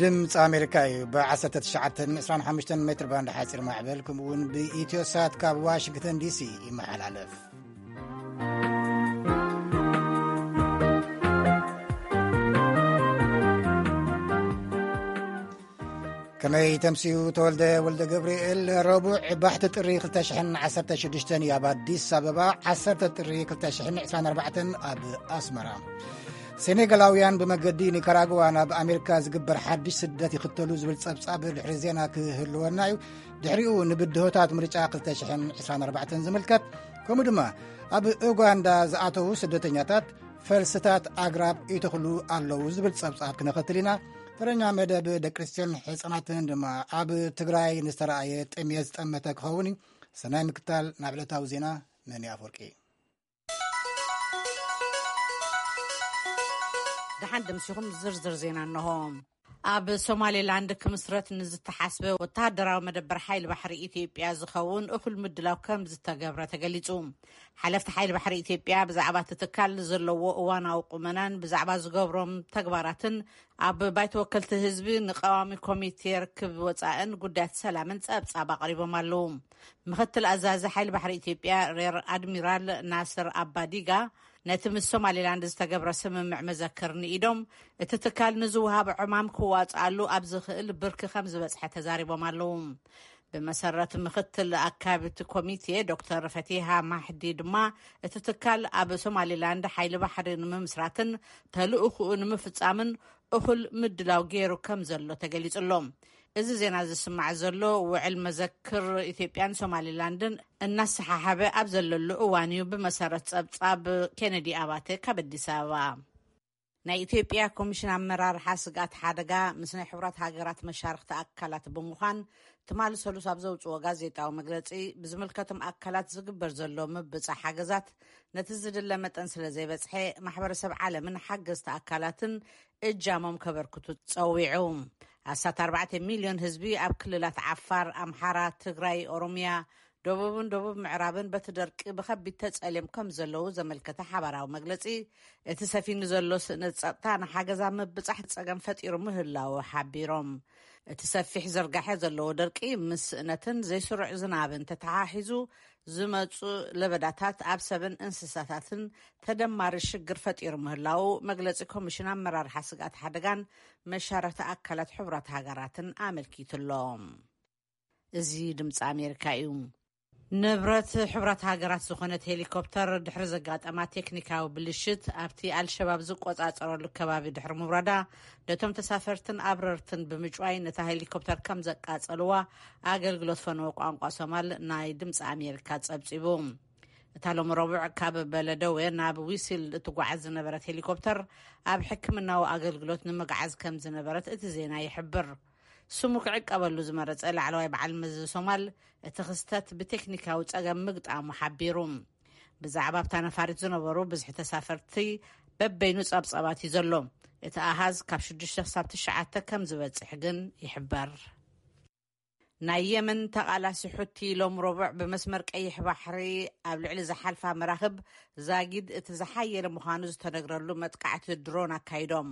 ድምፂ ኣሜሪካ እዩ። ብ19 25 ሜትር ባንድ ሓፂር ማዕበል፣ ከምኡ እውን ብኢትዮ ሳት ካብ ዋሽንግተን ዲሲ ይመሓላለፍ። ከመይ ተምስዩ? ተወልደ ወልደ ገብርኤል። ረቡዕ ባሕቲ ጥሪ ክልተ ሽሕን ዓሰርተ ሽዱሽተን እዩ። ኣብ ኣዲስ ኣበባ ዓሰርተ ጥሪ ክልተ ሽሕን ዕስራን ኣርባዕተን ኣብ ኣስመራ። ሴኔጋላውያን ብመገዲ ኒካራግዋ ናብ ኣሜሪካ ዝግበር ሓድሽ ስደት ይኽተሉ ዝብል ጸብጻብ ድሕሪ ዜና ክህልወና እዩ። ድሕሪኡ ንብድሆታት ምርጫ ክልተ ሽሕን ዕስራን ኣርባዕተን ዝምልከት፣ ከምኡ ድማ ኣብ ኡጋንዳ ዝኣተዉ ስደተኛታት ፈልስታት ኣግራብ ይተኽሉ ኣለዉ ዝብል ጸብጻብ ክነኸትል ኢና። ተረኛ መደብ ደቂ ኣንስትዮን ሕጻናትን ድማ ኣብ ትግራይ ንዝተረኣየ ጥሜት ዝጠመተ ክኸውን እዩ። ሰናይ ምክታል። ናብ ዕለታዊ ዜና፣ መን ኣፈወርቂ። ደሓን ደምሲኹም። ዝርዝር ዜና እንሆ። ኣብ ሶማሌላንድ ክምስረት ንዝተሓስበ ወተሃደራዊ መደበር ሓይሊ ባሕሪ ኢትዮጵያ ዝኸውን እኹል ምድላው ከም ዝተገብረ ተገሊጹ። ሓለፍቲ ሓይሊ ባሕሪ ኢትዮጵያ ብዛዕባ እቲ ትካል ዘለዎ እዋናዊ ቁመናን ብዛዕባ ዝገብሮም ተግባራትን ኣብ ባይቶ ወከልቲ ህዝቢ ንቀዋሚ ኮሚቴ ርክብ ወጻእን ጉዳያት ሰላምን ጸብጻብ ኣቕሪቦም ኣለዉ። ምኽትል ኣዛዚ ሓይሊ ባሕሪ ኢትዮጵያ ሬር ኣድሚራል ናስር ኣባዲጋ ነቲ ምስ ሶማሌላንድ ዝተገብረ ስምምዕ መዘክር ንኢዶም፣ እቲ ትካል ንዝወሃብ ዕማም ክዋጽኣሉ ኣብ ዝኽእል ብርኪ ከም ዝበጽሐ ተዛሪቦም ኣለዉ። ብመሰረት ምኽትል ኣካቢት ኮሚቴ ዶክተር ፈቲሃ ማሕዲ ድማ፣ እቲ ትካል ኣብ ሶማሌላንድ ሓይሊ ባሕሪ ንምምስራትን ተልእኹኡ ንምፍጻምን እኹል ምድላው ገይሩ ከም ዘሎ ተገሊጹ ኣሎ። እዚ ዜና ዝስማዕ ዘሎ፣ ውዕል መዘክር ኢትዮጵያን ሶማሊላንድን እናሰሓሓበ ኣብ ዘለሉ እዋን እዩ፣ ብመሰረት ጸብጻብ ኬነዲ ኣባተ ካብ ኣዲስ ኣበባ። ናይ ኢትዮጵያ ኮሚሽን ኣመራርሓ ስግኣት ሓደጋ ምስ ናይ ሕቡራት ሃገራት መሻርኽቲ ኣካላት ብምዃን፣ ትማሊ ሰሉስ ኣብ ዘውጽኦ ጋዜጣዊ መግለጺ፣ ብዝምልከቶም ኣካላት ዝግበር ዘሎ ምብጻሕ ሓገዛት ነቲ ዝድለ መጠን ስለ ዘይበጽሐ፣ ማሕበረሰብ ዓለምን ሓገዝቲ ኣካላትን እጃሞም ከበርክቱ ጸዊዑ። ኣስታት ኣርባዕተ ሚልዮን ህዝቢ ኣብ ክልላት ዓፋር፣ ኣምሓራ፣ ትግራይ፣ ኦሮምያ፣ ደቡብን ደቡብ ምዕራብን በቲ ደርቂ ብኸቢድ ተጸልዮም ከም ዘለዉ ዘመልከተ ሓባራዊ መግለጺ፣ እቲ ሰፊኑ ዘሎ ስእነት ጸጥታ ንሓገዝ ኣብ ምብጻሕ ጸገም ፈጢሩ ምህላዉ ሓቢሮም። እቲ ሰፊሕ ዝርጋሐ ዘለዎ ደርቂ ምስ ስእነትን ዘይስሩዕ ዝናብን ተተሓሒዙ ዝመጹ ለበዳታት ኣብ ሰብን እንስሳታትን ተደማሪ ሽግር ፈጢሩ ምህላዉ መግለጺ ኮሚሽን ኣመራርሓ ስግኣት ሓደጋን መሻርኽቲ ኣካላት ሕቡራት ሃገራትን ኣመልኪቱ ኣሎ። እዚ ድምፂ ኣሜሪካ እዩ። ንብረት ሕቡራት ሃገራት ዝኾነት ሄሊኮፕተር ድሕሪ ዘጋጠማ ቴክኒካዊ ብልሽት፣ ኣብቲ ኣልሸባብ ዝቆጻጸረሉ ከባቢ ድሕሪ ምውራዳ፣ ነቶም ተሳፈርትን ኣብረርትን ብምጭዋይ ነታ ሄሊኮፕተር ከም ዘቃጸልዋ ኣገልግሎት ፈነወ ቋንቋ ሶማል ናይ ድምፂ ኣሜሪካ ጸብጺቡ። እታ ሎሚ ረቡዕ ካብ በለደወ ናብ ዊሲል እትጓዓዝ ዝነበረት ሄሊኮፕተር፣ ኣብ ሕክምናዊ ኣገልግሎት ንምግዓዝ ከም ዝነበረት እቲ ዜና ይሕብር። ስሙ ክዕቀበሉ ዝመረጸ ላዕለዋይ በዓል መዚ ሶማል፣ እቲ ክስተት ብቴክኒካዊ ጸገም ምግጣሙ ሓቢሩ። ብዛዕባ ኣብታ ነፋሪት ዝነበሩ ብዝሒ ተሳፈርቲ በበይኑ ጸብጻባት እዩ ዘሎ። እቲ ኣሃዝ ካብ ሽዱሽተ ክሳብ ትሽዓተ ከም ዝበጽሕ ግን ይሕበር። ናይ የመን ተቓላሲ ሑቲ ሎም ረቡዕ ብመስመር ቀይሕ ባሕሪ ኣብ ልዕሊ ዝሓልፋ መራኽብ ዛጊድ እቲ ዝሓየለ ምዃኑ ዝተነግረሉ መጥቃዕቲ ድሮን ኣካይዶም።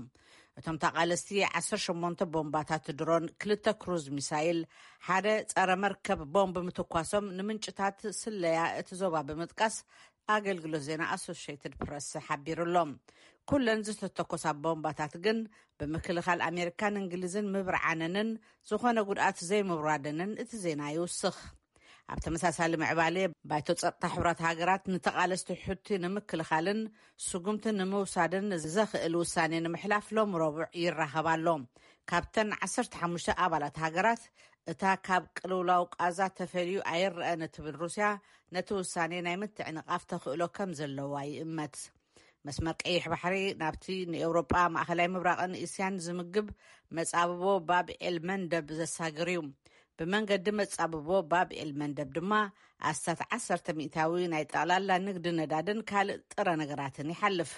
እቶም ተቓለስቲ ዓሰርተ ሸሞንተ ቦምባታት ድሮን፣ ክልተ ክሩዝ ሚሳይል፣ ሓደ ጸረ መርከብ ቦምብ ምትኳሶም ንምንጭታት ስለያ እቲ ዞባ ብምጥቃስ ኣገልግሎት ዜና ኣሶሽየትድ ፕረስ ሓቢሩ ኣሎ። ኩለን ዝተተኮሳ ቦምባታት ግን ብምክልኻል ኣሜሪካን እንግሊዝን ምብርዓነንን ዝኾነ ጉድኣት ዘይምውራደንን እቲ ዜና ይውስኽ። ኣብ ተመሳሳሊ ምዕባለ፣ ባይቶ ጸጥታ ሕቡራት ሃገራት ንተቓለስቲ ሑቲ ንምክልኻልን ስጉምቲ ንምውሳድን ዘኽእል ውሳኔ ንምሕላፍ ሎም ረቡዕ ይራኸብ ኣሎ። ካብተን ዓሰርተ ሓሙሽተ ኣባላት ሃገራት፣ እታ ካብ ቅልውላው ቃዛ ተፈልዩ ኣይረኣን እትብል ሩስያ፣ ነቲ ውሳኔ ናይ ምትዕንቓፍ ተኽእሎ ከም ዘለዋ ይእመት። መስመር ቀይሕ ባሕሪ ናብቲ ንኤውሮጳ፣ ማእኸላይ ምብራቕን እስያን ዝምግብ መጻብቦ ባብ ኤል መንደብ ዘሳግር እዩ። ብመንገዲ መጻብቦ ባብ ኤል መንደብ ድማ ኣስታት ዓሰርተ ሚእታዊ ናይ ጠቕላላ ንግዲ ነዳድን ካልእ ጥረ ነገራትን ይሓልፍ።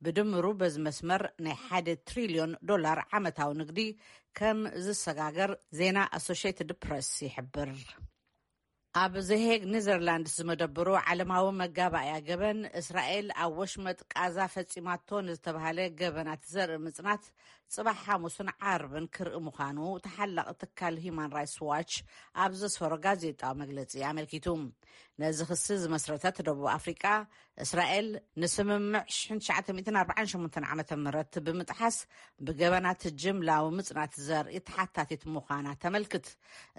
ብድምሩ በዚ መስመር ናይ ሓደ ትሪልዮን ዶላር ዓመታዊ ንግዲ ከም ዝሰጋገር ዜና ኣሶሽየትድ ፕረስ ይሕብር። ኣብ ዘሄግ ኔዘርላንድስ ዝመደብሩ ዓለማዊ መጋባእያ ገበን፣ እስራኤል ኣብ ወሽመጥ ቃዛ ፈጺማቶ ንዝተባህለ ገበናት ዘርኢ ምጽናት ጽባሕ ሓሙስን ዓርብን ክርኢ ምዃኑ ተሓላቒ ትካል ሂማን ራይትስ ዋች ኣብ ዘስፈሮ ጋዜጣዊ መግለጺ ኣመልኪቱ። ነዚ ክሲ ዝመስረተት ደቡብ ኣፍሪቃ፣ እስራኤል ንስምምዕ ሽሕን ትሽዓተ ሚእትን ኣርባዓን ሸሞንተን ዓመተ ምህረት ብምጥሓስ ብገበናት ጅምላዊ ምጽናት ዘርኢ ተሓታቲት ምዃና ተመልክት።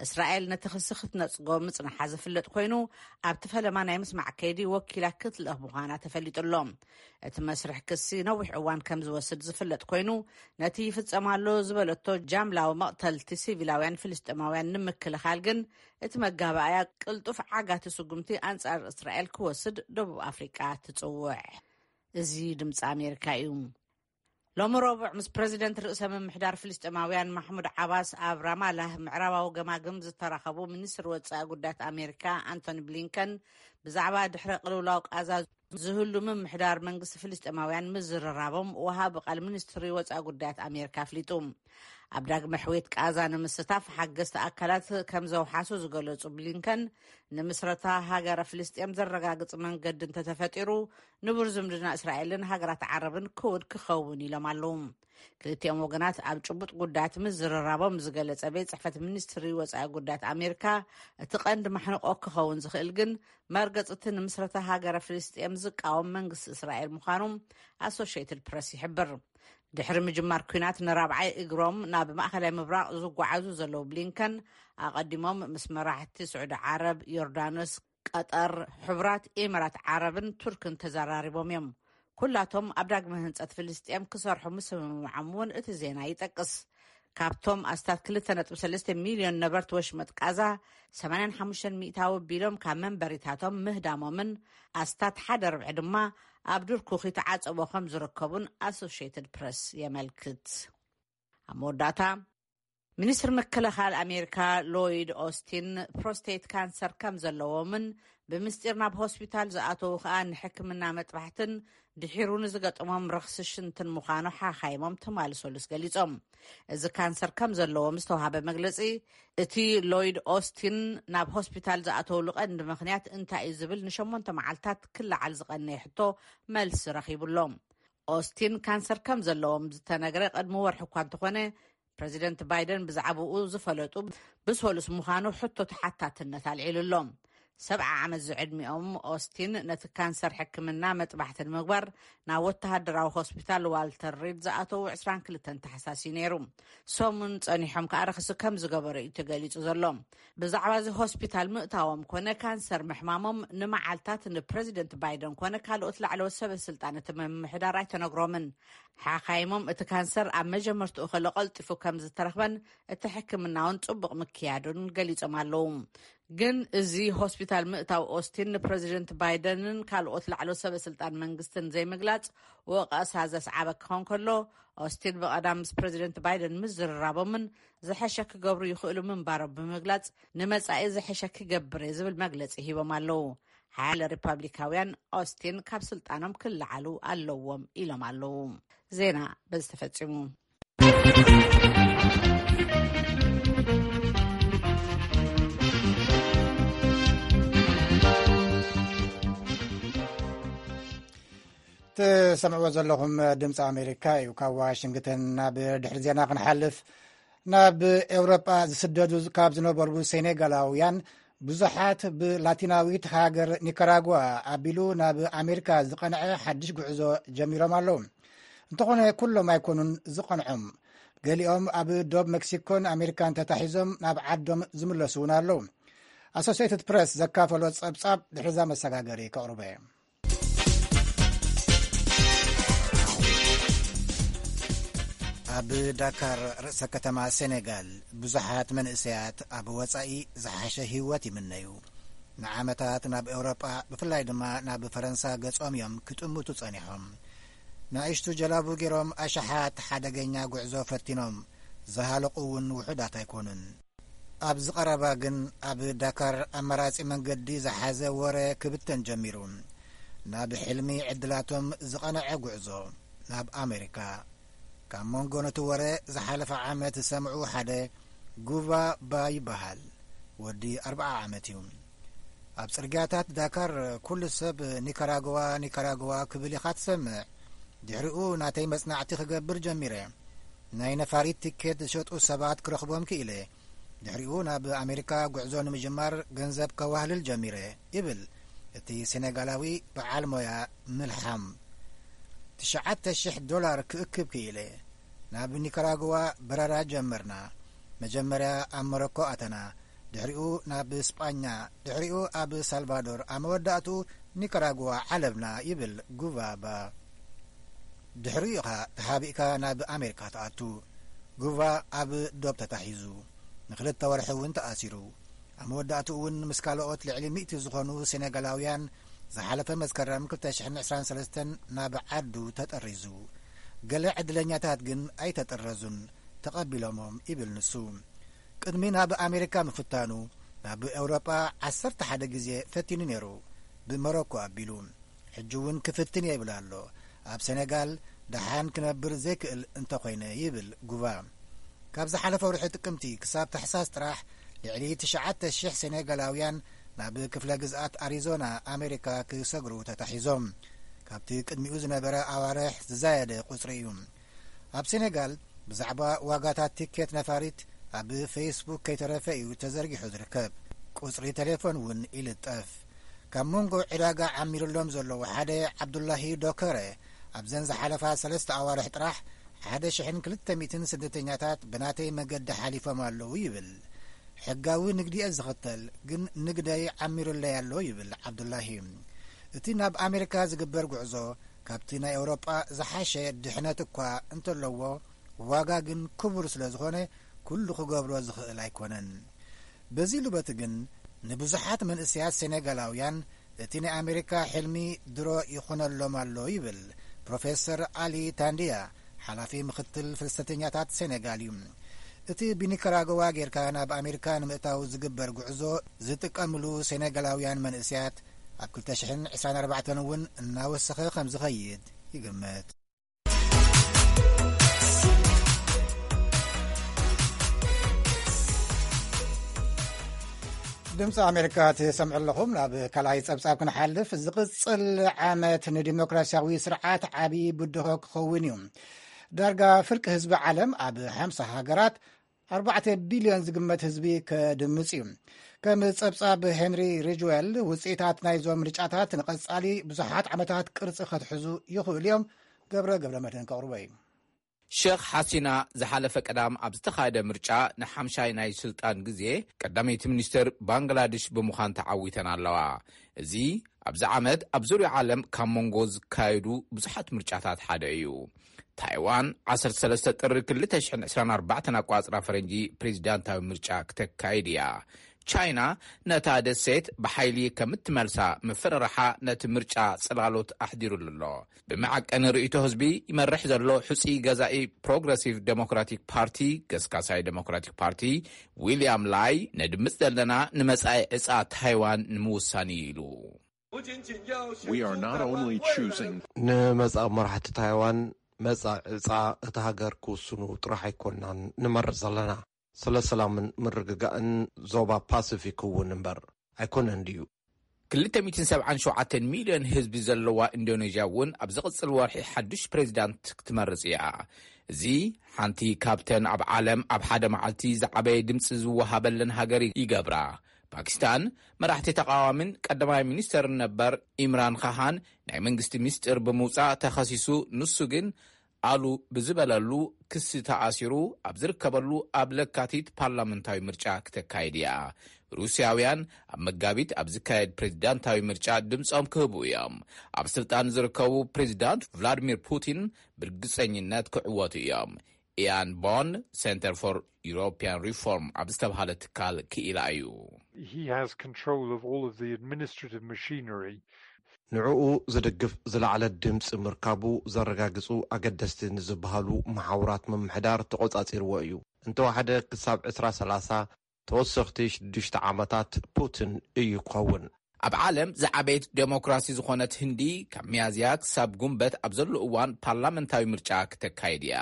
እስራኤል ነቲ ክሲ ክትነጽጎ ምጽንሓ ዝፍለጥ ኮይኑ፣ ኣብቲ ፈለማ ናይ ምስማዕ ከይዲ ወኪላ ክትልእኽ ምዃና ተፈሊጡ ኣሎ። እቲ መስርሕ ክሲ ነዊሕ እዋን ከም ዝወስድ ዝፍለጥ ኮይኑ፣ ነቲ ይፍጸም ኣሎ ዝበለቶ ጃምላዊ መቕተልቲ ሲቪላውያን ፍልስጤማውያን ንምክልኻል ግን፣ እቲ መጋባእያ ቅልጡፍ ዓጋቲ ስጉምቲ ኣንጻር እስራኤል ክወስድ ደቡብ ኣፍሪቃ ትጽውዕ። እዚ ድምፂ ኣሜሪካ እዩ። ሎሚ ረቡዕ ምስ ፕረዚደንት ርእሰ ምምሕዳር ፍልስጤማውያን ማሕሙድ ዓባስ ኣብ ራማላህ ምዕራባዊ ገማግም ዝተራኸቡ ሚኒስትር ወጻኢ ጉዳያት ኣሜሪካ ኣንቶኒ ብሊንከን ብዛዕባ ድሕረ ቅልውላው ቃዛ ዝህሉ ምምሕዳር መንግስቲ ፍልስጤማውያን ምዝርራቦም ወሃቢ ቃል ሚኒስትሪ ወጻኢ ጉዳያት ኣሜሪካ ኣፍሊጡ። ኣብ ዳግመ ሕውየት ቃዛ ንምስታፍ ሓገዝቲ ኣካላት ከም ዘውሓሱ ዝገለጹ ብሊንከን፣ ንምስረታ ሃገረ ፍልስጤም ዘረጋግጽ መንገዲ እንተተፈጢሩ፣ ንቡር ዝምድና እስራኤልን ሃገራት ዓረብን ክውድ ክኸውን ኢሎም ኣለዉ። ክልቲኦም ወገናት ኣብ ጭቡጥ ጉዳያት ምዝርራቦም ዝገለጸ ቤት ጽሕፈት ሚኒስትሪ ወጻኢ ጉዳያት ኣሜሪካ፣ እቲ ቀንዲ ማሕንቆ ክኸውን ዝኽእል ግን መርገጽቲ ንምስረታ ሃገረ ፍልስጤም ዝቃወም መንግስቲ እስራኤል ምዃኑ ኣሶሽየትድ ፕረስ ይሕብር። ድሕሪ ምጅማር ኲናት ንራብዓይ እግሮም ናብ ማእከላይ ምብራቕ ዝጓዓዙ ዘለዉ ብሊንከን፣ ኣቐዲሞም ምስ መራሕቲ ስዑዲ ዓረብ፣ ዮርዳኖስ፣ ቀጠር፣ ሕቡራት ኢማራት ዓረብን ቱርክን ተዘራሪቦም እዮም። ኩላቶም ኣብ ዳግመ ህንጸት ፍልስጤም ክሰርሑ ምስምምዖም እውን እቲ ዜና ይጠቅስ። ካብቶም ኣስታት ክልተ ነጥቢ ሰለስተ ሚልዮን ነበርቲ ወሽመጥ ቃዛ፣ ሰማንያን ሓሙሽተን ሚእታዊ ቢሎም ካብ መንበሪታቶም ምህዳሞምን ኣስታት ሓደ ርብዒ ድማ ኣብ ዱር ኩኺ ተዓጸቦ ከም ዝርከቡን ኣሶሽየትድ ፕረስ የመልክት። ኣብ መወዳእታ፣ ሚኒስትር ምክልኻል ኣሜሪካ ሎይድ ኦስቲን ፕሮስቴት ካንሰር ከም ዘለዎምን ብምስጢር ናብ ሆስፒታል ዝኣተዉ ከኣ ንሕክምና መጥባሕትን ድሒሩ ንዝገጠሞም ረኽሲ ሽንትን ምዃኑ ሓኻይሞም ትማሊ ሰሉስ ገሊጾም። እዚ ካንሰር ከም ዘለዎም ዝተዋሃበ መግለጺ፣ እቲ ሎይድ ኦስቲን ናብ ሆስፒታል ዝኣተውሉ ቀንዲ ምኽንያት እንታይ እዩ ዝብል ንሸሞንተ መዓልታት ክለዓል ዝቐነየ ሕቶ መልሲ ረኺቡ ኣሎ። ኦስቲን ካንሰር ከም ዘለዎም ዝተነግረ ቅድሚ ወርሒ እኳ እንተኾነ፣ ፕረዚደንት ባይደን ብዛዕባኡ ዝፈለጡ ብሰሉስ ምዃኑ ሕቶ ተሓታትነት ኣልዒሉ ኣሎ። ሰብዓ ዓመት ዝዕድሚኦም ኦስቲን ነቲ ካንሰር ሕክምና መጥባሕቲ ንምግባር ናብ ወተሃደራዊ ሆስፒታል ዋልተር ሪድ ዝኣተዉ ዕስራን ክልተን ታሕሳስ እዩ ነይሩ። ሰሙን ጸኒሖም ከኣ ረኽሲ ከም ዝገበሩ እዩ ተገሊጹ ዘሎ። ብዛዕባ እዚ ሆስፒታል ምእታዎም ኮነ ካንሰር ምሕማሞም ንመዓልታት ንፕረዚደንት ባይደን ኮነ ካልኦት ላዕለዎት ሰበ ስልጣን እቲ ምምሕዳር ኣይተነግሮምን። ሓኻይሞም እቲ ካንሰር ኣብ መጀመርትኡ ከሎ ቀልጢፉ ከም ዝተረኽበን እቲ ሕክምና እውን ጽቡቕ ምክያዱን ገሊጾም ኣለዉ። ግን እዚ ሆስፒታል ምእታው ኦስቲን ንፕረዚደንት ባይደንን ካልኦት ላዕለዎት ሰበ ስልጣን መንግስትን ዘይምግላጽ ወቐሳ ዘስዓበ ክኸውን ከሎ፣ ኦስቲን ብቐዳም ምስ ፕረዚደንት ባይደን ምዝርራቦምን ዝሐሸ ክገብሩ ይኽእሉ ምንባሮም ብምግላጽ፣ ንመጻኢ ዝሐሸ ክገብር እየ ዝብል መግለጺ ሂቦም ኣለዉ። ሓያለ ሪፓብሊካውያን ኦስቲን ካብ ስልጣኖም ክለዓሉ ኣለዎም ኢሎም ኣለዉ። ዜና በዚ ተፈጺሙ። ትሰምዕዎ ዘለኹም ድምፂ ኣሜሪካ እዩ። ካብ ዋሽንግተን ናብ ድሕሪ ዜና ክንሓልፍ፣ ናብ ኤውሮጳ ዝስደዱ ካብ ዝነበሩ ሴኔጋላውያን ብዙሓት ብላቲናዊት ሃገር ኒካራጓ ኣቢሉ ናብ ኣሜሪካ ዝቐንዐ ሓድሽ ጉዕዞ ጀሚሮም ኣለዉ። እንተኾነ ኩሎም ኣይኮኑን ዝቐንዖም። ገሊኦም ኣብ ዶብ ሜክሲኮን ኣሜሪካን ተታሒዞም ናብ ዓዶም ዝምለሱ እውን ኣለዉ። ኣሶሲየትድ ፕረስ ዘካፈሎ ጸብጻብ ድሕሪዛ መሰጋገሪ ከቕርበ። ኣብ ዳካር ርእሰ ከተማ ሴኔጋል ብዙሓት መንእሰያት ኣብ ወጻኢ ዝሓሸ ህይወት ይምነዩ። ንዓመታት ናብ ኤውሮጳ ብፍላይ ድማ ናብ ፈረንሳ ገጾም እዮም ክጥምቱ ጸኒሖም። ንኣሽቱ ጀላቡ ገይሮም ኣሽሓት ሓደገኛ ጉዕዞ ፈቲኖም ዝሃለቑ እውን ውሑዳት ኣይኮኑን። ኣብዚ ቀረባ ግን ኣብ ዳካር ኣማራጺ መንገዲ ዝሓዘ ወረ ክብተን ጀሚሩ። ናብ ሕልሚ ዕድላቶም ዝቐንዐ ጉዕዞ። ናብ ኣሜሪካ። ካብ መንጎ ነቲ ወረ ዝሓለፈ ዓመት ዝሰምዑ ሓደ ጉቫ ባ ይበሃል። ወዲ ኣርብዓ ዓመት እዩ። ኣብ ጽርግያታት ዳካር ኩሉ ሰብ ኒካራግዋ፣ ኒካራግዋ ክብል ኢኻ ትሰምዕ። ድሕሪኡ ናተይ መጽናዕቲ ክገብር ጀሚረ። ናይ ነፋሪት ቲኬት ዝሸጡ ሰባት ክረኽቦም ክኢለ። ድሕሪኡ ናብ ኣሜሪካ ጉዕዞ ንምጅማር ገንዘብ ከዋህልል ጀሚረ ይብል እቲ ሴኔጋላዊ በዓል ሞያ ምልሓም። ትሽዓተ ሽሕ ዶላር ክእክብ ክኢለ። ናብ ኒካራግዋ በረራ ጀመርና። መጀመርያ ኣብ ሞሮኮ ኣተና፣ ድሕሪኡ ናብ ስጳኛ፣ ድሕሪኡ ኣብ ሳልቫዶር፣ ኣብ መወዳእቱ ኒካራግዋ ዓለብና ይብል ጉቫባ። ድሕሪኡ ኢኻ ተሓቢእካ ናብ ኣሜሪካ ትኣቱ። ጉቫ ኣብ ዶብ ተታሒዙ ንክልተ ወርሒ እውን ተኣሲሩ። ኣብ መወዳእቱ እውን ምስ ካልኦት ልዕሊ ሚእቲ ዝኾኑ ሴኔጋላውያን ዝሓለፈ መስከረም ክልተ ሽሕን ዕስራን ሰለስተን ናብ ዓዱ ተጠሪዙ። ገለ ዕድለኛታት ግን ኣይተጠረዙን፣ ተቐቢሎሞም ይብል ንሱ። ቅድሚ ናብ ኣሜሪካ ምፍታኑ ናብ ኤውሮጳ ዓሰርተ ሓደ ግዜ ፈቲኑ ነይሩ፣ ብሞሮኮ ኣቢሉ። ሕጂ እውን ክፍትን እየ ይብል ኣሎ። ኣብ ሴኔጋል ደሓን ክነብር ዘይክእል እንተኾይነ ይብል ጉቫ። ካብ ዝሓለፈ ወርሒ ጥቅምቲ ክሳብ ታሕሳስ ጥራሕ ልዕሊ ትሽዓተ ሽሕ ሴኔጋላውያን ናብ ክፍለ ግዝኣት ኣሪዞና ኣሜሪካ ክሰግሩ ተታሒዞም። ካብቲ ቅድሚኡ ዝነበረ ኣዋርሕ ዝዛየደ ቁጽሪ እዩ። ኣብ ሴኔጋል ብዛዕባ ዋጋታት ቲኬት ነፋሪት ኣብ ፌስቡክ ከይተረፈ እዩ ተዘርጊሑ ዝርከብ። ቁጽሪ ቴሌፎን እውን ይልጠፍ። ካብ መንጎ ዕዳጋ ዓሚሩሎም ዘለዉ ሓደ ዓብዱላሂ ዶከረ ኣብዘን ዝሓለፋ ሰለስተ ኣዋርሕ ጥራሕ ሓደ ሽሕን ክልተ ሚእትን ስደተኛታት ብናተይ መገዲ ሓሊፎም ኣለዉ ይብል። ሕጋዊ ንግዲ እየ ዝኽተል፣ ግን ንግደይ ዓሚሩለይ ኣሎ ይብል ዓብዱላሂ። እቲ ናብ ኣሜሪካ ዝግበር ጉዕዞ ካብቲ ናይ ኤውሮጳ ዝሓሸ ድሕነት እኳ እንተለዎ፣ ዋጋ ግን ክቡር ስለ ዝኾነ ኩሉ ክገብሮ ዝኽእል ኣይኮነን። በዚ ሉበቲ ግን ንብዙሓት መንእሰያት ሴኔጋላውያን እቲ ናይ ኣሜሪካ ሕልሚ ድሮ ይኾነሎም ኣሎ ይብል ፕሮፌሰር ኣሊ ታንድያ፣ ሓላፊ ምኽትል ፍልሰተኛታት ሴኔጋል እዩ። እቲ ብኒካራግዋ ጌርካ ናብ ኣሜሪካ ንምእታው ዝግበር ጉዕዞ ዝጥቀምሉ ሴኔጋላውያን መንእሰያት ኣብ ክልተ ሽሕን ዕስራን ኣርባዕተን እውን እናወሰኸ ከም ዝኸይድ ይግመት። ድምፂ ኣሜሪካ ትሰምዑ ኣለኹም። ናብ ካልኣይ ጸብጻብ ክንሓልፍ፣ ዝቕጽል ዓመት ንዲሞክራሲያዊ ስርዓት ዓቢ ብድሆ ክኸውን እዩ። ዳርጋ ፍርቂ ህዝቢ ዓለም ኣብ ሓምሳ ሃገራት ኣርባዕተ ቢልዮን ዝግመት ህዝቢ ከድምጽ እዩ። ከም ጸብጻብ ሄንሪ ሪጅዌል፣ ውጽኢታት ናይዞም ምርጫታት ንቐጻሊ ብዙሓት ዓመታት ቅርጺ ከትሕዙ ይኽእሉ እዮም። ገብረ ገብረ መድህን ከቕርቦ እዩ። ሸኽ ሓሲና ዝሓለፈ ቀዳም ኣብ ዝተኻየደ ምርጫ ንሓምሻይ ናይ ስልጣን ግዜ ቀዳመይቲ ሚኒስትር ባንግላድሽ ብምዃን ተዓዊተን ኣለዋ። እዚ ኣብዚ ዓመት ኣብ ዙርያ ዓለም ካብ መንጎ ዝካየዱ ብዙሓት ምርጫታት ሓደ እዩ። ታይዋን ዓሰርተ ሰለስተ ጥሪ ክልተ ሽሕን ዕስራን ኣርባዕተን ኣቋጽራ ፈረንጂ ፕሬዚዳንታዊ ምርጫ ክተካይድ እያ። ቻይና ነታ ደሴት ብሓይሊ ከም እትመልሳ ምፍርራሓ ነቲ ምርጫ ጽላሎት ኣሕዲሩሉ ኣሎ። ብመዐቀኒ ርእይቶ ህዝቢ ይመርሕ ዘሎ ሕጹይ ገዛኢ ፕሮግረሲቭ ዴሞክራቲክ ፓርቲ፣ ገስጋሳይ ዴሞክራቲክ ፓርቲ፣ ዊልያም ላይ፣ ነድምጽ ዘለና ንመጻኢ ዕጻ ታይዋን ንምውሳን እዩ ኢሉ። We are not only choosing ንመጻኢ መራሕቲ ታይዋን መጻኢ ዕጻ እታ ሃገር ክውስኑ ጥራሕ ኣይኮንናን ንመርጽ ዘለና። ስለ ሰላምን ምርግጋእን ዞባ ፓሲፊክ እውን እምበር ኣይኮነን ድዩ? ክልተ ሚእትን ሰብዓን ሸውዓተን ሚልዮን ህዝቢ ዘለዋ ኢንዶኔዥያ እውን ኣብ ዝቕጽል ወርሒ ሓዱሽ ፕሬዚዳንት ክትመርጽ እያ። እዚ ሓንቲ ካብተን ኣብ ዓለም ኣብ ሓደ መዓልቲ ዝዓበየ ድምፂ ዝወሃበለን ሃገር ይገብራ። ፓኪስታን መራሕቲ ተቃዋሚን ቀዳማይ ሚኒስተርን ነበር ኢምራን ካሃን ናይ መንግስቲ ሚስጥር ብምውጻእ ተኸሲሱ፣ ንሱ ግን ኣሉ ብዝበለሉ ክሲ ተኣሲሩ ኣብ ዝርከበሉ ኣብ ለካቲት ፓርላመንታዊ ምርጫ ክተካይድ እያ። ሩስያውያን ኣብ መጋቢት ኣብ ዝካየድ ፕሬዚዳንታዊ ምርጫ ድምፆም ክህቡ እዮም። ኣብ ስልጣን ዝርከቡ ፕሬዚዳንት ቭላድሚር ፑቲን ብርግፀኝነት ክዕወቱ እዮም። ኢያን ቦን፣ ሴንተር ፎር ዩሮፒያን ሪፎርም ኣብ ዝተብሃለ ትካል ክኢላ እዩ። He has control of all of the administrative machinery. ንዕኡ ዝድግፍ ዝለዓለ ድምፂ ምርካቡ ዘረጋግፁ ኣገደስቲ ንዝበሃሉ መሓውራት ምምሕዳር ተቖፃፂርዎ እዩ። እንተወሓደ ክሳብ ዕስራ ሰላሳ ተወሰኽቲ ሽዱሽተ ዓመታት ፑቲን እዩ ክኸውን። ኣብ ዓለም ዝዓበየት ዴሞክራሲ ዝኾነት ህንዲ፣ ካብ ሚያዝያ ክሳብ ጉንበት ኣብ ዘሎ እዋን ፓርላመንታዊ ምርጫ ክተካይድ እያ።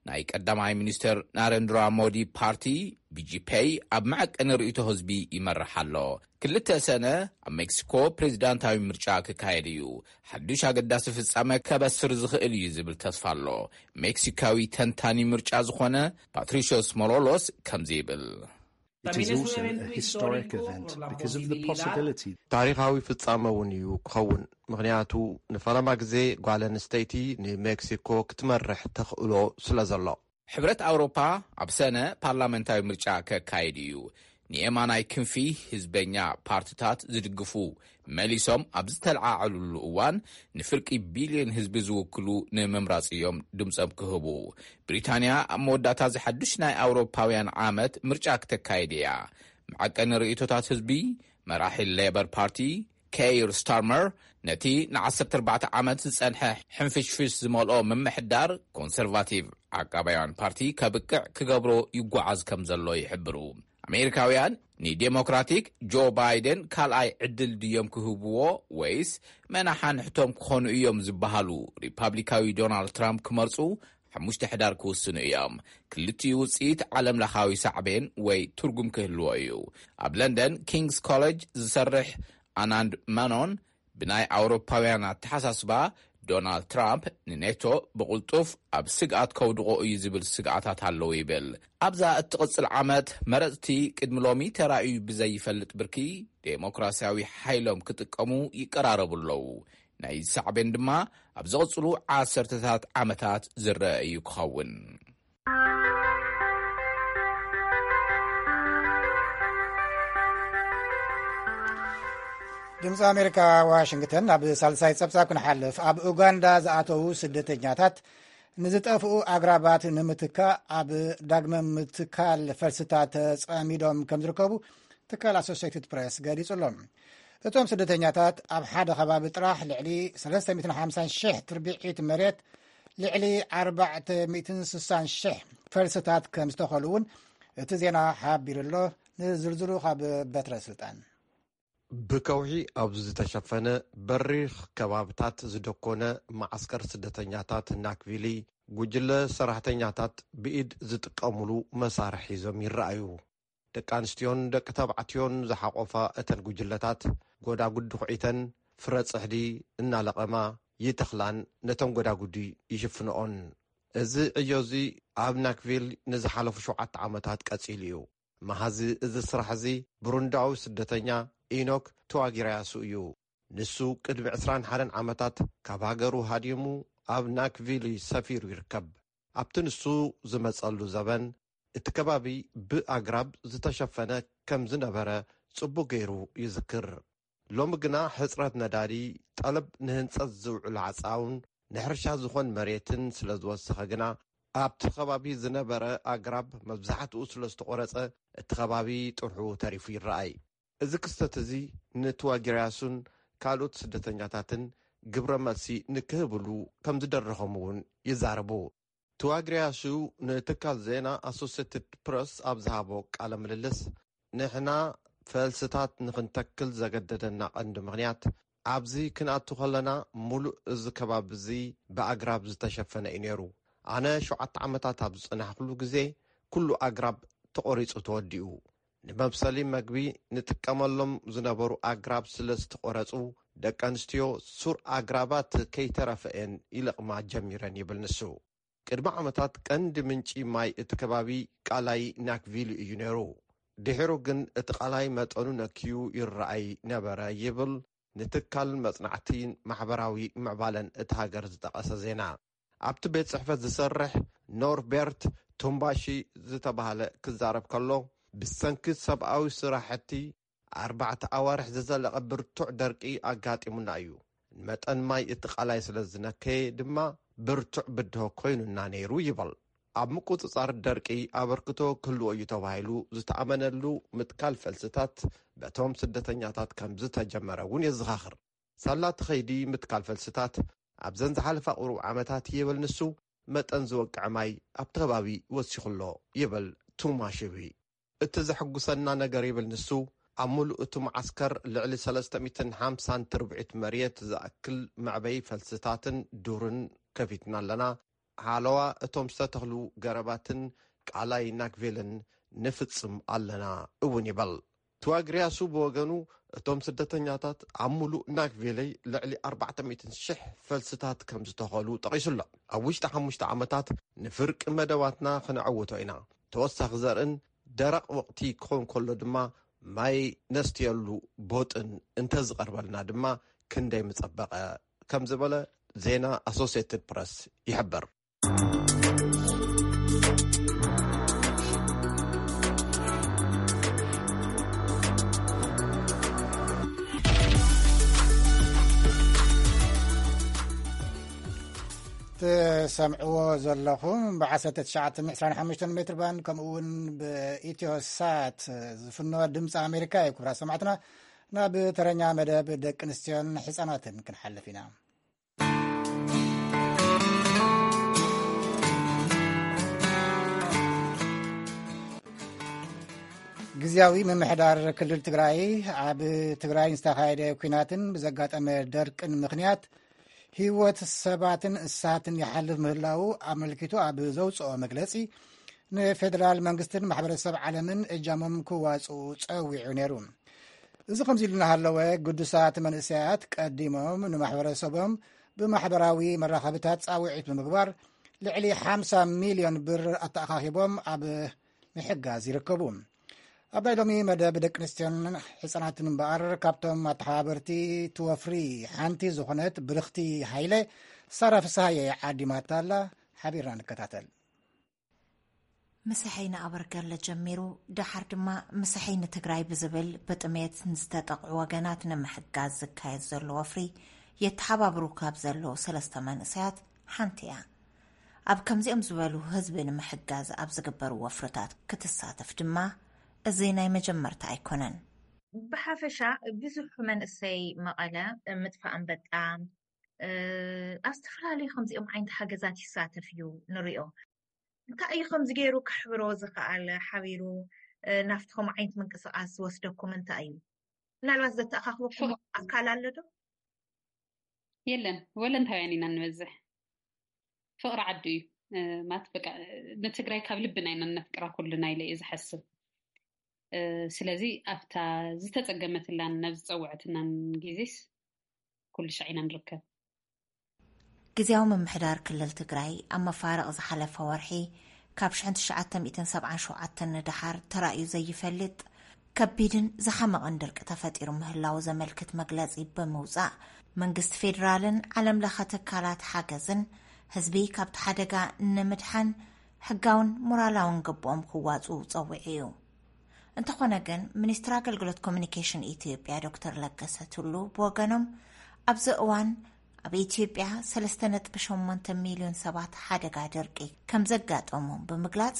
ናይ ቀዳማይ ሚኒስትር ናረንድራ ሞዲ ፓርቲ፣ ቢጂፔይ፣ ኣብ መዐቀኒ ርእይቶ ህዝቢ ይመርሕ ኣሎ። ክልተ ሰነ ኣብ ሜክሲኮ ፕሬዚዳንታዊ ምርጫ ክካየድ እዩ። ሓዱሽ ኣገዳሲ ፍጻመ ከበስር ዝኽእል እዩ ዝብል ተስፋ ኣሎ። ሜክሲካዊ ተንታኒ ምርጫ ዝኾነ ፓትሪሾስ ሞሎሎስ ከምዚ ይብል። It is also a historic event because of the possibility. ታሪኻዊ ፍጻመ እውን እዩ ክኸውን፣ ምኽንያቱ ንፈለማ ግዜ ጓል ኣንስተይቲ ንሜክሲኮ ክትመርሕ ተኽእሎ ስለ ዘሎ። ሕብረት ኣውሮፓ ኣብ ሰነ ፓርላመንታዊ ምርጫ ከካይድ እዩ። ንየማናይ ክንፊ ህዝበኛ ፓርትታት ዝድግፉ መሊሶም ኣብ ዝተለዓዓሉሉ እዋን፣ ንፍርቂ ቢልዮን ህዝቢ ዝውክሉ ንምምራጽ እዮም ድምጾም ክህቡ። ብሪታንያ ኣብ መወዳእታ እዚ ሓዱሽ ናይ ኣውሮፓውያን ዓመት ምርጫ ክተካይድ እያ። መዐቀኒ ርእይቶታት ህዝቢ፣ መራሒ ሌበር ፓርቲ ኬይር ስታርመር፣ ነቲ ን14 ዓመት ዝጸንሐ ሕንፍሽፍሽ ዝመልኦ ምምሕዳር ኮንሰርቫቲቭ ዓቃባውያን ፓርቲ ከብቅዕ ክገብሮ ይጓዓዝ ከም ዘሎ ይሕብሩ። ኣሜሪካውያን ንዴሞክራቲክ ጆ ባይደን ካልኣይ ዕድል ድዮም ክህብዎ፣ ወይስ መናሓንሕቶም ክኾኑ እዮም ዝበሃሉ ሪፓብሊካዊ ዶናልድ ትራምፕ ክመርጹ ሓሙሽተ ሕዳር ክውስኑ እዮም። ክልቲኡ ውጽኢት ዓለም ለኻዊ ሳዕቤን ወይ ትርጉም ክህልዎ እዩ። ኣብ ለንደን ኪንግስ ኮሌጅ ዝሰርሕ ኣናንድ መኖን፣ ብናይ ኣውሮፓውያን ኣተሓሳስባ፣ ዶናልድ ትራምፕ ንኔቶ ብቕልጡፍ ኣብ ስግኣት ከውድቖ እዩ ዝብል ስግኣታት ኣለዉ ይብል። ኣብዛ እትቕጽል ዓመት፣ መረጽቲ ቅድሚ ሎሚ ተራእዩ ብዘይፈልጥ ብርኪ ዴሞክራሲያዊ ሓይሎም ክጥቀሙ ይቀራረቡ ኣለዉ። ናይ ሳዕቤን ድማ ኣብ ዝቕጽሉ ዓሰርተታት ዓመታት ዝረአ እዩ ክኸውን። ድምፂ ኣሜሪካ፣ ዋሽንግተን። ኣብ ሳልሳይ ፀብፃብ ክንሓልፍ፣ ኣብ ኡጋንዳ ዝኣተዉ ስደተኛታት ንዝጠፍኡ ኣግራባት ንምትካእ ኣብ ዳግመ ምትካል ፈልስታት ተፀሚዶም ከም ዝርከቡ ትካል ኣሶሴትድ ፕሬስ ገሊጹ ኣሎ። እቶም ስደተኛታት ኣብ ሓደ ከባቢ ጥራሕ ልዕሊ ሰለስተ ሚእትን ሓምሳን ሽሕ ትርብዒት መሬት፣ ልዕሊ ኣርባዕተ ሚእትን ስሳን ሽሕ ፈልስታት ከም ዝተኸሉ እውን እቲ ዜና ሓቢሩ ኣሎ። ንዝርዝሩ ካብ በትረ ስልጣን። ብከውሒ ኣብ ዝተሸፈነ በሪኽ ከባብታት ዝደኮነ መዓስከር ስደተኛታት ናክቪሊ፣ ጉጅለ ሰራሕተኛታት ብኢድ ዝጥቀሙሉ መሳርሒ ሒዞም ይረኣዩ። ደቂ ኣንስትዮን ደቂ ተባዕትዮን ዝሓቆፋ እተን ጉጅለታት፣ ጎዳጉዲ ኹዒተን ፍረ ጽሕዲ እናለቐማ ይተኽላን ነቶም ጎዳጉዲ ይሽፍንኦን። እዚ ዕዮ እዚ ኣብ ናክቪል ንዝሓለፉ ሸውዓተ ዓመታት ቀጺሉ እዩ። መሃዚ እዚ ስራሕ እዚ፣ ብሩንዳዊ ስደተኛ ኢኖክ ትዋጊራያሱ እዩ። ንሱ ቅድሚ ዕስራን ሓደን ዓመታት ካብ ሃገሩ ሃዲሙ ኣብ ናክቪሊ ሰፊሩ ይርከብ። ኣብቲ ንሱ ዝመጸሉ ዘበን፣ እቲ ከባቢ ብኣግራብ ዝተሸፈነ ከም ዝነበረ ጽቡቕ ገይሩ ይዝክር። ሎሚ ግና ሕጽረት ነዳዲ፣ ጠለብ ንህንጸት ዝውዕሉ ዓጻውን ንሕርሻ ዝኾን መሬትን ስለ ዝወሰኸ ግና፣ ኣብቲ ከባቢ ዝነበረ ኣግራብ መብዛሕትኡ ስለ ዝተቖረጸ፣ እቲ ከባቢ ጥርሑ ተሪፉ ይረኣይ። እዚ ክስተት እዚ ንትዋጊርያሱን ካልኦት ስደተኛታትን ግብረ መልሲ ንክህብሉ ከም ዝደረኾም እውን ይዛረቡ። ትዋግርያሱ ንትካል ዜና ኣሶሴትድ ፕረስ ኣብ ዝሃቦ ቃለ ምልልስ፣ ንሕና ፈልስታት ንኽንተክል ዘገደደና ቀንዲ ምኽንያት፣ ኣብዚ ክንኣቱ ከለና፣ ሙሉእ እዚ ከባቢ እዚ ብኣግራብ ዝተሸፈነ እዩ ነይሩ። ኣነ ሸውዓተ ዓመታት ኣብ ዝጸናሕኩሉ ግዜ፣ ኩሉ ኣግራብ ተቖሪጹ ተወዲኡ። ንመብሰሊ መግቢ ንጥቀመሎም ዝነበሩ ኣግራብ ስለ ዝተቖረጹ፣ ደቂ ኣንስትዮ ሱር ኣግራባት ከይተረፈ እየን ይለቕማ ጀሚረን ይብል ንሱ። ቅድሚ ዓመታት ቀንዲ ምንጪ ማይ እቲ ከባቢ ቃላይ ናክቪሊ እዩ ነይሩ። ድሒሩ ግን እቲ ቃላይ መጠኑ ነክዩ ይረኣይ ነበረ ይብል ንትካል መጽናዕቲ ማሕበራዊ ምዕባለን እቲ ሃገር ዝጠቐሰ ዜና። ኣብቲ ቤት ጽሕፈት ዝሰርሕ ኖርቤርት ቱምባሺ ዝተባህለ ክዛረብ ከሎ፣ ብሰንኪ ሰብኣዊ ስራሕቲ ኣርባዕተ ኣዋርሕ ዝዘለቐ ብርቱዕ ደርቂ ኣጋጢሙና እዩ። ንመጠን ማይ እቲ ቃላይ ስለ ዝነከየ ድማ ብርቱዕ ብድሆ ኮይኑና ነይሩ ይበል። ኣብ ምቁጽጻር ደርቂ ኣበርክቶ ክህልዎ እዩ ተባሂሉ ዝተኣመነሉ ምትካል ፈልስታት በቶም ስደተኛታት ከም ዝተጀመረ እውን የዘኻኽር። ሳላ እቲ ኸይዲ ምትካል ፈልስታት ኣብዘን ዝሓለፋ ቁሩብ ዓመታት ይብል ንሱ፣ መጠን ዝወቅዐ ማይ ኣብቲ ከባቢ ወሲኹ ኣሎ ይብል ቱማሽቪ። እቲ ዘሐጉሰና ነገር ይብል ንሱ፣ ኣብ ሙሉእ እቲ መዓስከር ልዕሊ ሰለስተ ሚእትን ሓምሳን ትርብዒት መሬት ዝኣክል መዕበዪ ፈልስታትን ዱርን ከፊትና ኣለና። ሓለዋ እቶም ዝተተኽሉ ገረባትን ቃላይ ናክቬልን ንፍጽም ኣለና እውን ይበል። ትዋግሪያሱ ብወገኑ፣ እቶም ስደተኛታት ኣብ ሙሉእ ናክቬለይ ልዕሊ ኣርባዕተ ሚእትን ሽሕ ፈልስታት ከም ዝተኸሉ ጠቒሱ ኣሎ። ኣብ ውሽጢ ሓሙሽተ ዓመታት ንፍርቂ መደባትና ክነዕውቶ ኢና። ተወሳኺ ዘርእን ደረቕ ወቕቲ ክኸውን ከሎ ድማ ማይ ነስትየሉ ቦጥን እንተዝቐርበልና ድማ ክንደይ ምጸበቐ፣ ከም ዝበለ ዜና ኣሶሲየትድ ፕረስ ይሕብር። ትሰምዕዎ ዘለኹም ብ ዓሰርተ ትሽዓተ ሚእቲ ዕስራን ሓሙሽተን ሜትር ባንድ፣ ከምኡ እውን ብኢትዮ ሳት ዝፍኖ ድምፂ ኣሜሪካ እዩ። ክቡራት ሰማዕትና፣ ናብ ተረኛ መደብ ደቂ ኣንስትዮን ህፃናትን ክንሓልፍ ኢና። ግዝያዊ ምምሕዳር ክልል ትግራይ፣ ኣብ ትግራይ ዝተኻየደ ኲናትን ብዘጋጠመ ደርቅን ምኽንያት ህይወት ሰባትን እንስሳትን ይሓልፍ ምህላዉ ኣመልኪቱ ኣብ ዘውፅኦ መግለፂ፣ ንፌደራል መንግስትን ማሕበረሰብ ዓለምን እጃሞም ክዋፅኡ ፀዊዑ ነይሩ። እዚ ከምዚ ኢሉ እናሃለወ፣ ግዱሳት መንእሰያት ቀዲሞም ንማሕበረሰቦም ብማሕበራዊ መራኸብታት ፃውዒት ብምግባር ልዕሊ ሓምሳ ሚልዮን ብር ኣተኣኻኺቦም ኣብ ምሕጋዝ ይርከቡ። ኣብ ናይ ሎሚ መደብ ደቂ ኣንስትዮን ህፃናትን እምበኣር፣ ካብቶም ኣተሓባበርቲ እቲ ወፍሪ ሓንቲ ዝኾነት ብርኽቲ ሃይለ፣ ሳራ ፍስሃየ ዓዲማታ ኣላ። ሓቢርና ንከታተል። ምሳሐይ ንኣበርገለ ጀሚሩ፣ ደሓር ድማ ምሳሐይ ንትግራይ ብዝብል ብጥሜት ንዝተጠቕዑ ወገናት ንምሕጋዝ ዝካየድ ዘሎ ወፍሪ የተሓባብሩ ካብ ዘለዉ ሰለስተ መንእሰያት ሓንቲ እያ። ኣብ ከምዚኦም ዝበሉ ህዝቢ ንምሕጋዝ ኣብ ዝግበሩ ወፍርታት ክትሳተፍ ድማ እዚ ናይ መጀመርታ ኣይኮነን። ብሓፈሻ ብዙሕ መንእሰይ መቐለ ምጥፋእ ኣንበጣ፣ እ፣ ኣብ ዝተፈላለዩ ከምዚኦም ዓይነት ሓገዛት ይሳተፍ እዩ ንሪኦ። እንታይ እዩ ከምዚ ገይሩ ከሕብሮ ዝኸኣለ? ሓቢሩ፣ እ፣ ናብቲ ከምኡ ዓይነት ምንቅስቓስ ዝወስደኩም እንታይ እዩ? ምናልባት ዘተኣኻኽበኩም ፍቕ- ኣካል ኣሎ ዶ? የለን፣ ወለንታውያን ኢና ንበዝሕ። ፍቕሪ ዓዱ እዩ። እ፣ ማለት በቃ፣ እ፣ ንትግራይ ካብ ልብና ኢና እነፍቅራ ኩልና ኢለ እየ ዝሓስብ። እ፣ ስለዚ ኣብታ ዝተጸገመትላን ናብ ዝጸውዐትናን ግዜስ ኩሉ ሻዕ ኢና ንርከብ። ግዝያዊ ምምሕዳር ክልል ትግራይ ኣብ መፋርቕ ዝሓለፈ ወርሒ ካብ ሽሕን ትሽዓተ ሚእትን ሰብዓን ሸውዓተን ንደሓር ተራእዩ ዘይፈልጥ ከቢድን ዝሓመቐን ድርቂ ተፈጢሩ ምህላዉ ዘመልክት መግለጺ ብምውጻእ፣ መንግስቲ ፌዴራልን ዓለም ለኸ ትካላት ሓገዝን ህዝቢ ካብቲ ሓደጋ ንምድሓን ሕጋውን ሞራላውን ግብኦም ክዋጽኡ ጸዊዑ እዩ። እንተኾነ ግን፣ ሚኒስትር ኣገልግሎት ኮሚኒኬሽን ኢትዮጵያ ዶክተር ለገሰ ቱሉ ብወገኖም፣ ኣብዚ እዋን ኣብ ኢትዮጵያ ሰለስተ ነጥቢ ሸሞንተ ሚልዮን ሰባት ሓደጋ ድርቂ ከም ዘጋጠሞም ብምግላጽ፣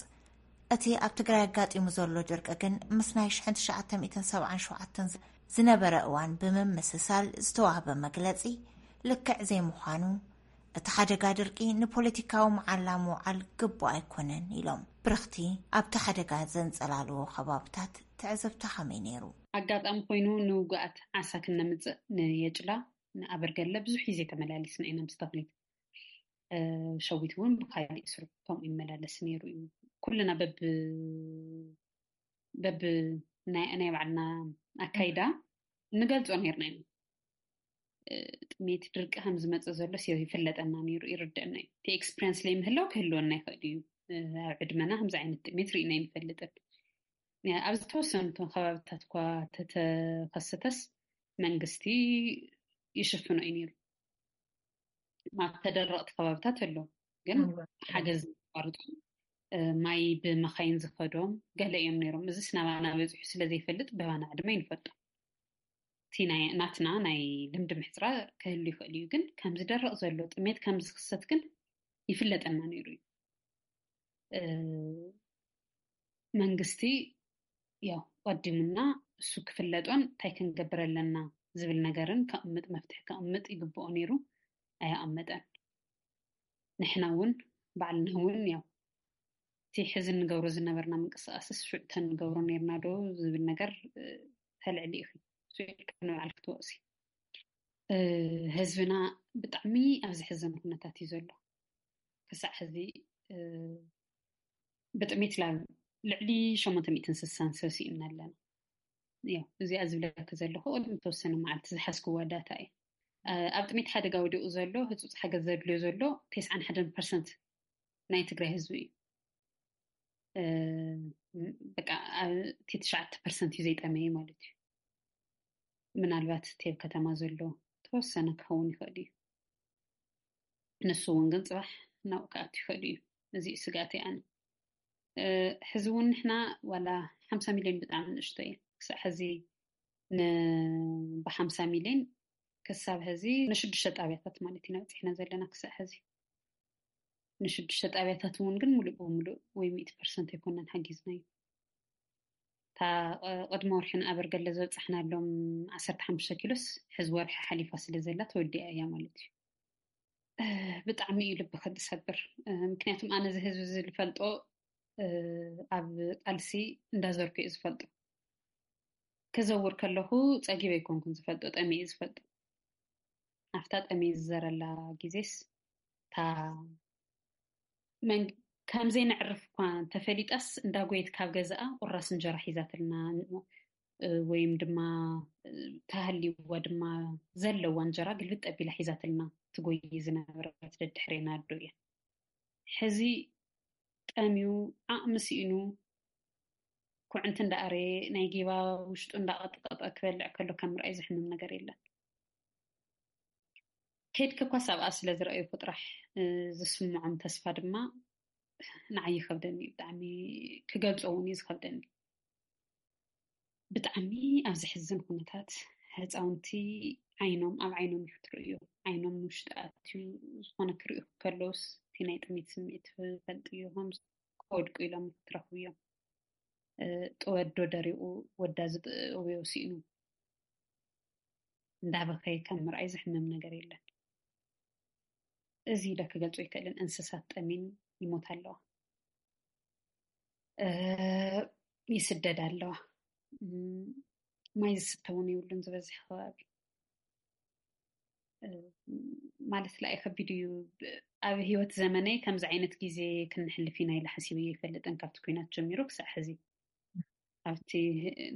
እቲ ኣብ ትግራይ ኣጋጢሙ ዘሎ ድርቂ ግን ምስ ናይ ሽሕን ትሽዓተ ሚእትን ሰብዓን ሸውዓተን ዝነበረ እዋን ብምምስሳል ዝተዋህበ መግለጺ ልክዕ ዘይምዃኑ፣ እቲ ሓደጋ ድርቂ ንፖለቲካዊ መዓላ ምውዓል ግቡእ ኣይኮነን ኢሎም። ብርኽቲ ኣብቲ ሓደጋ ዘንጸላልዎ ከባብታት ትዕዝብታ ከመይ ነይሩ? ኣጋጣሚ ኮይኑ ንውጉኣት ዓሳ ክነምጽእ ንየጭላ፣ ንኣበርገለ ብዙሕ ግዜ ተመላሊስና ኢና ምስ ተኽሊት። እ፣ ሸዊት እውን ብካሊእ ስርሑ ከምኡ ይመላለስ ነይሩ እዩ። ኩልና በብ-፣ በብ ናይ፣ ናይ ባዕልና ኣካይዳ ንገልጾ ነይርና ኢና። እ፣ ጥሜት ድርቂ ከም ዝመጽእ ዘሎ ሲ-፣ ይፍለጠና ነይሩ፣ ይርደአና እዩ። እቲ ኤክስፒሪየንስ ለይምህላው ክህልወና ይኽእል እዩ። እ፣ ኣብ ዕድመና ከምዚ ዓይነት ጥሜት ርኢና ኣይንፈልጥን። እ፣ ኣብ ዝተወሰኑ ከባብታት እኳ ተተኸሰተስ መንግስቲ ይሽፍኖ እዩ ነይሩ። ኣብ ተደረቕቲ ከባብታት ኣሎ፣ ግን እወ። ሓገዝ ዘቋርጡ፣ እ፣ ማይ ብመኻይን ዝኸዶም ገለ እዮም ነይሮም። እዚስ ናባና በፂሑ ስለ ዘይፈልጥ በባና ድማ ይንፈልጦ። እቲ ናይ፣ ናትና ናይ ልምዲ ምሕፅራ ክህሉ ይኽእል እዩ፣ ግን ከምዚ ደረቕ ዘሎ ጥሜት ከም ዝኽሰት ግን ይፍለጠና ነይሩ እዩ። እ፣ መንግስቲ ያው ቀዲሙና እሱ ክፍለጦን እንታይ ክንገብር ኣለና ዝብል ነገርን ከቕምጥ፣ መፍትሒ ከቕምጥ ይግብኦ ነይሩ። ኣየቐመጠን። ንሕና እውን ባዕልና እውን ያው እቲ ሕዚ እንገብሮ ዝነበርና ምንቅስቃስስ ሽዑ ተንገብሮ ነይርና ዶ ዝብል ነገር፣ እ፣ ተልዕሊ ኢኺ። ስኢልካ ንባዕልኪ ትወቕሲ። ህዝብና ብጣዕሚ ኣብ ዘሕዝን ኩነታት እዩ ዘሎ። ክሳዕ ሕዚ ብጥሜት ላብ ልዕሊ ሸሞንተ ሚእትን ስሳን ሰብ ስኢንና ኣለና። ያው እዚኣ ዝብለኪ ዘለኹ ቅድሚ ተወሰነ መዓልቲ ዝሓዝክዋ ዳታ እዩ። ኣብ ጥሜት ሓደጋ ወዲቑ ዘሎ፣ ህፁፅ ሓገዝ ዘድልዮ ዘሎ ተስዓን ሓደን ፐርሰንት ናይ ትግራይ ህዝቢ እዩ። በቃ እቲ ትሽዓተ ፐርሰንት እዩ ዘይጠመየ ማለት እዩ። ምናልባት እቲ ኣብ ከተማ ዘሎ ተወሰነ ክኸውን ይኽእል እዩ። ንሱ እውን ግን ፅባሕ ናብኡ ክኣቱ ይኽእል እዩ። እዚ እዩ ስጋኣተይ ኣነ። ሕዚ እውን ንሕና ዋላ ሓምሳ ሚልዮን ብጣዕሚ ንእሽቶ እዩ። ክሳብ ሕዚ ን ብሓምሳ ሚልዮን ክሳብ ሕዚ ንሽዱሽተ ጣብያታት ማለት ኢና በፂሕና ዘለና ክሳብ ሕዚ። ንሽዱሽተ ጣብያታት እውን ግን ሙሉእ ብሙሉእ ወይ ሚእቲ ፐርሰንት ኣይኮነን ሓጊዝናዮ። እታ ቅድሚ ወርሒ ንኣበርገለ ዘብፃሕናሎም ዓሰርተ ሓሙሽተ ኪሎስ ሕዚ ወርሒ ሓሊፋ ስለ ዘላ ተወዲኣ እያ ማለት እዩ። ብጣዕሚ እዩ ልብኺ ዝሰብር። ምክንያቱም ኣነ እዚ ህዝቢ እዚ ዝፈልጦ ኣብ ቃልሲ እንዳዘርኩ እየ ዝፈልጦ። ክዘውር ከለኹ ፀጊበ ኣይኮንኩን ዝፈልጦ፣ ጠሚየ እየ ዝፈልጦ። ኣብታ ጠሚየ ዝዘረላ ግዜስ እታ መን ከም ዘይነዕርፍ እኳ እንተፈሊጣስ እንዳጎየት ካብ ገዛኣ ቁራስ እንጀራ ሒዛትልና ወይም ድማ ተሃልይዋ ድማ ዘለዋ እንጀራ ግልብጥ ኣቢላ ሒዛትልና ትጎይ ዝነበረት ደድሕሬና ኣዶ እያ። ሕዚ ጠምዩ ዓቕሚ ስኢኑ ኩዕንቲ እንዳኣረየ ናይ ጌባ ውሽጡ እንዳቐጥቀጠ ክበልዕ ከሎ ከም ምርኣይ ዝሕምም ነገር የለን። ከድኪ እኳስ ኣብኣ ስለ ዝረኣዩኩ ጥራሕ ዝስምዖም ተስፋ ድማ ንዓይ ይኸብደኒ እዩ። ብጣዕሚ ክገልጾ እውን እዩ ዝኸብደኒ። ብጣዕሚ ኣብ ዘሕዝን ኩነታት ህፃውንቲ ዓይኖም ኣብ ዓይኖም እዩ ክትርእዮ። ዓይኖም ንውሽጢ ኣትዩ ዝኾነ ክርእዩ ከለውስ እቲ ናይ ጥሜት ስምዒት ትፈልጥዮ ከም ክወድቁ ኢሎም ክትረኽብዮም። ጥወዶ ደሪቑ ወዳ ዝጥእውዮ ስኢኑ እንዳበኸየ ከም ምርኣይ ዝሕምም ነገር የለን። እዚ ኢለ ክገልጾ ኣይክእልን። እንስሳት ጠሚን ይሞታ ኣለዋ፣ ይስደዳ ኣለዋ፣ ማይ ዝስተ እውን የብሉን ዝበዝሕ ከባቢ። ማለት ላኢ ከቢድ እዩ። ኣብ ህይወት ዘመነይ ከምዚ ዓይነት ግዜ ክንሕልፍ ኢና ኢለ ሓሲበዮ ኣይፈልጥን፣ ካብቲ ኩናት ጀሚሩ ክሳዕ ሕዚ። ኣብቲ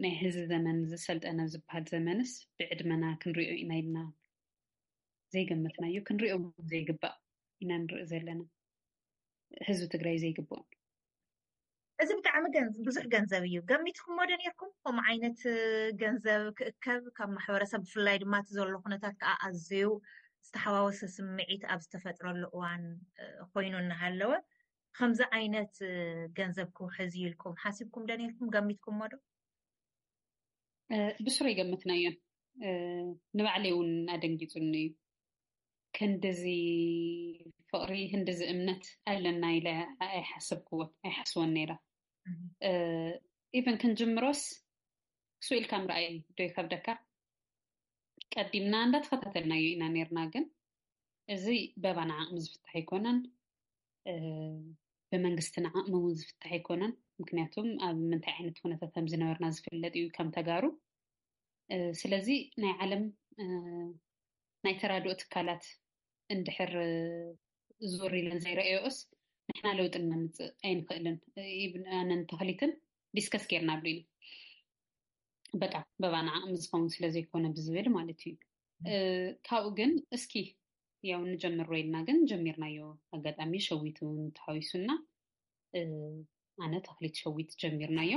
ናይ ህዚ ዘመን ዝሰልጠነ ዝበሃል ዘመንስ ብዕድመና ክንሪኦ ኢና ኢልና ዘይገመትናዮ፣ ክንሪኦ ዘይግባእ ኢና ንርኢ ዘለና። ህዝቢ ትግራይ ዘይግብኦም። እዚ ብጣዕሚ ብዙሕ ገንዘብ እዩ። ገሚትኩሞ ዶ ነርኩም ከምኡ ዓይነት ገንዘብ ክእከብ? ካብ ማሕበረሰብ ብፍላይ ድማ እቲ ዘሎ ኩነታት ከዓ ኣዝዩ ዝተሓዋወሰ ስምዒት ኣብ ዝተፈጥረሉ እዋን ኮይኑ እናሃለወ ከምዚ ዓይነት ገንዘብ ክውሕዝ እዩ ኢልኩም ሓሲብኩም ዶ ነርኩም? ገሚትኩሞ ዶ? ብስሩ ይገምትናዮን ንባዕለይ እውን ኣደንጊፁኒ እዩ። ክንድዚ ፍቕሪ ክንድዚ እምነት ኣለና ኢለ ኣይሓሰብክዎን ኣይሓስቦን ነይረ። ኢቨን ክንጅምሮስ ክሱ ኢልካ ምርኣይ ዶ ይከብደካ? ቀዲምና እንዳተኸታተልናዮ ኢና ነርና፣ ግን እዚ በባና ዓቕሚ ዝፍታሕ ኣይኮነን፣ ብመንግስትና ዓቕሚ እውን ዝፍታሕ ኣይኮነን። ምክንያቱም ኣብ ምንታይ ዓይነት ኩነታት ከም ዝነበርና ዝፍለጥ እዩ ከም ተጋሩ። ስለዚ ናይ ዓለም ናይ ተራድኦ ትካላት እንድሕር ዞር ኢለን ዘይረኣዮስ ንሕና ለውጢ እናምፅእ ኣይንኽእልን። ኣነን ተኽሊትን ዲስከስ ጌርናሉ ኢና። በቃ በባና ዓቕሚ ዝኸውን ስለ ዘይኮነ ብዝብል ማለት እዩ። ካብኡ ግን እስኪ ያው ንጀምሮ ኢልና ግን ጀሚርናዮ። ኣጋጣሚ ሸዊት እውን ተሓዊሱና ኣነ ተኽሊት ሸዊት ጀሚርናዮ።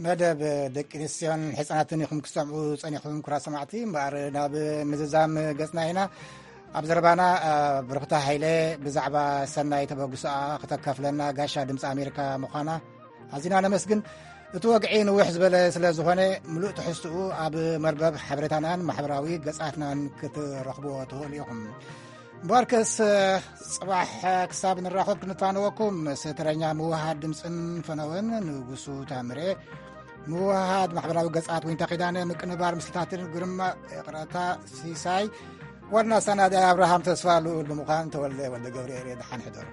መደብ ደቂ ኣንስትዮን ሕፃናትን ኢኹም ክሰምዑ ጸኒኹም፣ ክቡራት ሰማዕቲ። እምበኣር ናብ ምዝዛም ገጽና ኢና። ኣብ ዘረባና ብሩኽታ ሃይለ ብዛዕባ ሰናይ ተበግሶኣ ክተካፍለና ጋሻ ድምፂ ኣሜሪካ ምዃና ኣዚና ነመስግን። እቲ ወግዒ ንውሕ ዝበለ ስለ ዝኾነ ምሉእ ትሕዝትኡ ኣብ መርበብ ሓበሬታናን ማሕበራዊ ገጻትናን ክትረኽብዎ ትኽእሉ ኢኹም። እምበኣርከስ ጽባሕ ክሳብ ንራኸብ ክንፋነወኩም፣ ምስ ተረኛ ምውሃድ ድምፅን ፈነወን ንጉሱ ታምሬ ምውሃድ ማሕበራዊ ገጻት ዊንታ ኪዳነ፣ ምቅንባር ምስልታትን ግርማ ይቕረታ ሲሳይ፣ ዋና ኣሰናዳኢ ኣብርሃም ተስፋ ልኡል ብምዃን ተወልደ ወልደ ገብርኤል እየ። ደሓን ሕደሩ።